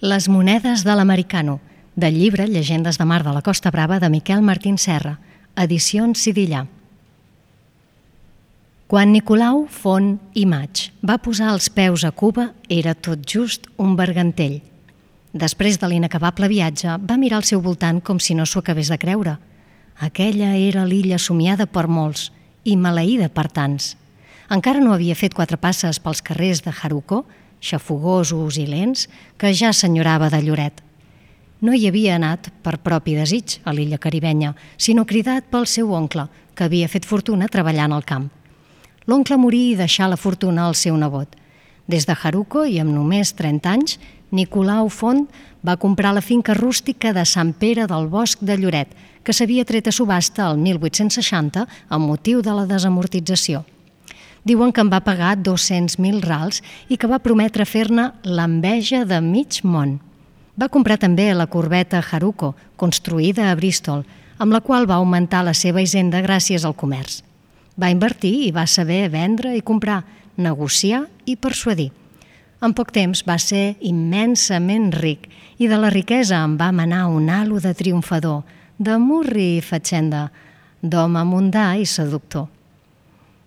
Les monedes de l'americano, del llibre Llegendes de mar de la Costa Brava de Miquel Martín Serra, edicions Sidillà. Quan Nicolau Font i Maig va posar els peus a Cuba, era tot just un bergantell. Després de l'inacabable viatge, va mirar al seu voltant com si no s'ho acabés de creure. Aquella era l'illa somiada per molts i maleïda per tants. Encara no havia fet 4 passes pels carrers de Jaruco, xafogosos i lents, que ja s'enyorava de Lloret. No hi havia anat per propi desig a l'illa caribenya, sinó cridat pel seu oncle, que havia fet fortuna treballant al camp. L'oncle morí i deixà la fortuna al seu nebot. Des de Jaruco i amb només 30 anys, Nicolau Font va comprar la finca rústica de Sant Pere del Bosc de Lloret, que s'havia tret a subhasta el 1860 amb motiu de la desamortització. Diuen que en va pagar 200.000 rals i que va prometre fer-ne l'enveja de mig món. Va comprar també la corbeta Jaruco, construïda a Bristol, amb la qual va augmentar la seva hisenda gràcies al comerç. Va invertir i va saber vendre i comprar, negociar i persuadir. En poc temps va ser immensament ric i de la riquesa en va manar un halo de triomfador, de murri i fatxenda, d'home mundà i seductor.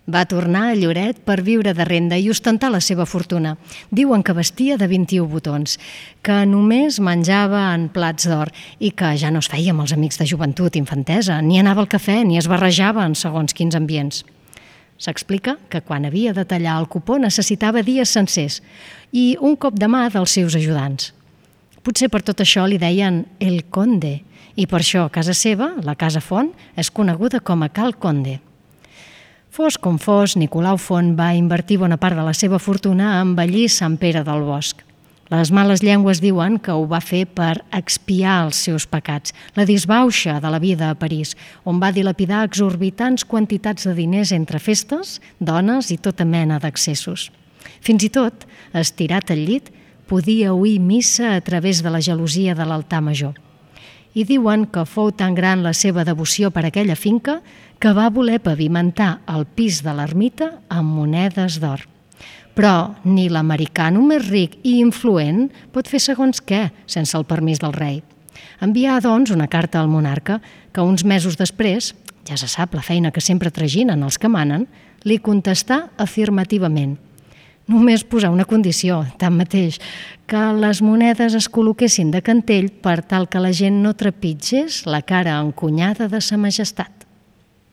Va tornar a Lloret per viure de renda i ostentar la seva fortuna. Diuen que vestia de 21 botons, que només menjava en plats d'or i que ja no es feia amb els amics de joventut i infantesa, ni anava al cafè ni es barrejava en segons quins ambients. S'explica que quan havia de tallar el cupó necessitava dies sencers i un cop de mà dels seus ajudants. Potser per tot això li deien el Conde i per això a casa seva, la Casa Font, és coneguda com a Cal Conde. Fos com fos, Nicolau Font va invertir bona part de la seva fortuna a embellir Sant Pere del Bosc. Les males llengües diuen que ho va fer per expiar els seus pecats, la disbauxa de la vida a París, on va dilapidar exorbitants quantitats de diners entre festes, dones i tota mena d'excessos. Fins i tot, estirat al llit, podia oir missa a través de la gelosia de l'altar major. I diuen que fou tan gran la seva devoció per aquella finca que va voler pavimentar el pis de l'ermita amb monedes d'or. Però ni l'americano més ric i influent pot fer segons què sense el permís del rei. Envià, doncs, una carta al monarca que uns mesos després, ja se sap la feina que sempre traginen els que manen, li contestà afirmativament. Només posar una condició, tanmateix, que les monedes es col·loquessin de cantell per tal que la gent no trepitgés la cara encunyada de sa majestat.